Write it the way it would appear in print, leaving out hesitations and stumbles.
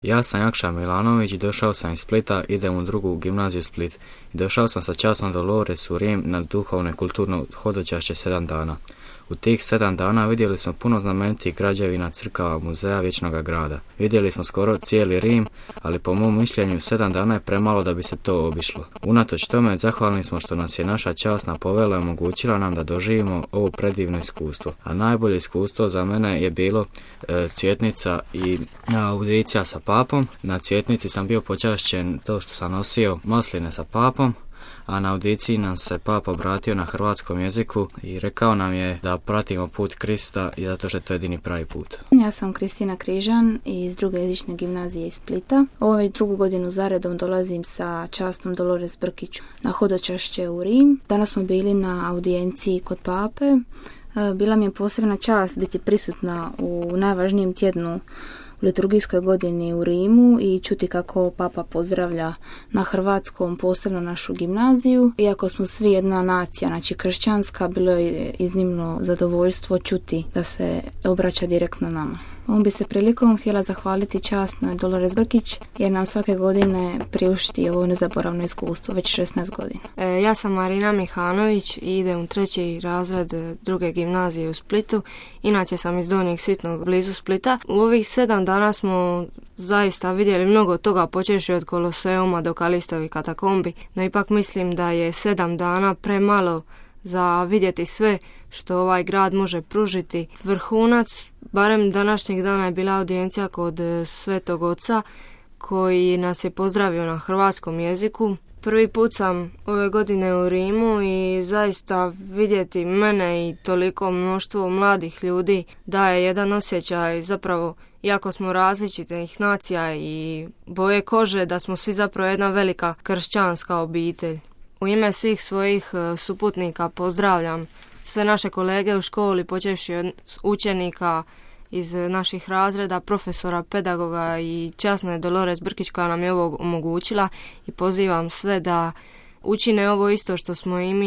Ja sam Jakša Milanović i došao sam iz Splita, idem u drugu gimnaziju Split. I došao sam sa časnom Dolores u Rim na duhovno i kulturno hodočašće 7 dana. U tih 7 dana vidjeli smo puno znamenitih građevina, crkava, muzeja Vječnoga grada. Vidjeli smo skoro cijeli Rim, ali po mom mišljenju 7 dana je premalo da bi se to obišlo. Unatoč tome zahvalni smo što nas je naša časna povelja i omogućila nam da doživimo ovo predivno iskustvo. A najbolje iskustvo za mene je bilo cvjetnica i audicija sa papom. Na cvjetnici sam bio počašćen to što sam nosio masline sa papom, a na audiciji nam se papa obratio na hrvatskom jeziku i rekao nam je da pratimo put Krista i zato što je to jedini pravi put. Ja sam Kristina Križan iz druge jezične gimnazije iz Splita. Ovo već drugu godinu zaredom dolazim sa častom Dolores Brkić na hodočašće u Rim. Danas smo bili na audijenciji kod pape. Bila mi je posebna čast biti prisutna u najvažnijem tjednu u liturgijskoj godini u Rimu i čuti kako papa pozdravlja na hrvatskom posebno našu gimnaziju. Iako smo svi jedna nacija, znači kršćanska, bilo je iznimno zadovoljstvo čuti da se obraća direktno nama. Ovom bi se prilikom htjela zahvaliti časnoj Dolores Brkić jer nam svake godine priušti ovo nezaboravno iskustvo, već 16 godina. Ja sam Marina Mihanović i idem u 3. razred druge gimnazije u Splitu. Inače sam iz Donjeg Sitnog blizu Splita. U ovih 7 dana smo zaista vidjeli mnogo toga, počevši od Koloseuma do Kalistovih katakombi, no ipak mislim da je 7 dana premalo za vidjeti sve što ovaj grad može pružiti. Vrhunac, barem današnjeg dana, je bila audijencija kod Svetog Oca koji nas je pozdravio na hrvatskom jeziku. Prvi put sam ove godine u Rimu i zaista vidjeti mene i toliko mnoštvo mladih ljudi daje jedan osjećaj, zapravo iako smo različitih nacija i boje kože, da smo svi zapravo jedna velika kršćanska obitelj. U ime svih svojih suputnika pozdravljam sve naše kolege u školi, počevši od učenika iz naših razreda, profesora, pedagoga i časne Dolores Brkić koja nam je ovo omogućila, i pozivam sve da učine ovo isto što smo i mi.